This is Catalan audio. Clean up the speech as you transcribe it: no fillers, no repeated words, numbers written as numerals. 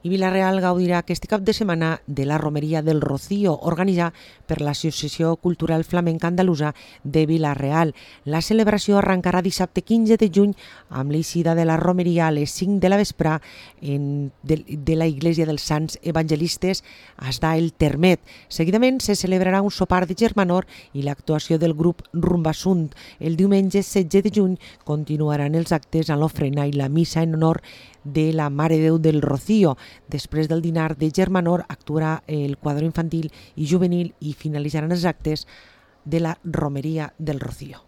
I Vila-real gaudirà aquest cap de setmana de la Romeria del Rocío, organitzada per l'Associació Cultural Flamenca Andalusa de Vila-real. La celebració arrencarà dissabte 15 de juny amb l'eixida de la Romeria a les 5 de la vespre de la Iglesia dels Sants Evangelistes hasta el Termet. Seguidament se celebrarà un sopar de germanor i l'actuació del grup Rumbasunt. El diumenge 16 de juny continuaran els actes a l'ofrena i la missa en honor de la Mare de Déu del Rocío. Després del dinar de germanor actuarà el quadre infantil i juvenil i finalitzaran els actes de la Romeria del Rocío.